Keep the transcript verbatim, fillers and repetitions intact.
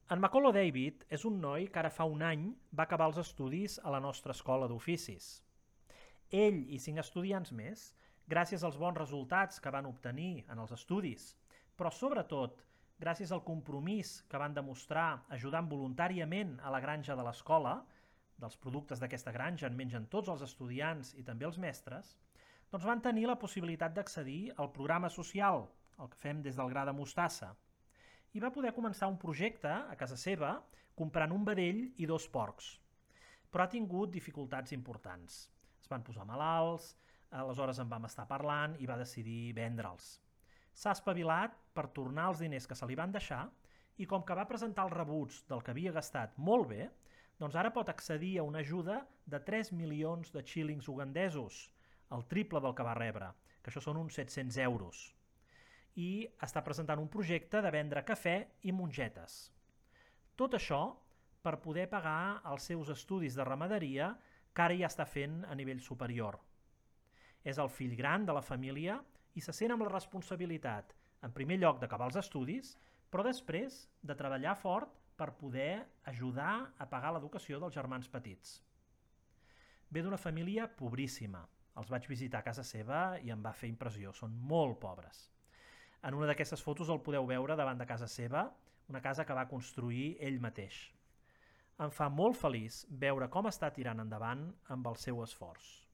En Macolo David és un noi que ara fa un any va acabar els estudis a la nostra escola d'oficis. Ell i cinc estudiants més, gràcies als bons resultats que van obtenir en els estudis, però sobretot gràcies al compromís que van demostrar ajudant voluntàriament a la granja de l'escola, dels productes d'aquesta granja en mengen tots els estudiants i també els mestres, doncs van tenir la possibilitat d'accedir al programa social, el que fem des del gra de mostassa, i va poder començar un projecte a casa seva comprant un vedell i dos porcs. Però ha tingut dificultats importants. Es van posar malalts, aleshores en vam estar parlant i va decidir vendre'ls. S'ha espavilat per tornar els diners que se li van deixar i com que va presentar els rebuts del que havia gastat molt bé, doncs ara pot accedir a una ajuda de tres milions de xílings ugandesos, el triple del que va rebre, que això són uns set-cents euros. I està presentant un projecte de vendre cafè i mongetes. Tot això per poder pagar els seus estudis de ramaderia que ara ja està fent a nivell superior. És el fill gran de la família i se sent amb la responsabilitat, en primer lloc, d'acabar els estudis, però després de treballar fort per poder ajudar a pagar l'educació dels germans petits. Ve d'una família pobríssima. Els vaig visitar a casa seva i em va fer impressió. Són molt pobres. En una d'aquestes fotos el podeu veure davant de casa seva, una casa que va construir ell mateix. Em fa molt feliç veure com està tirant endavant amb el seu esforç.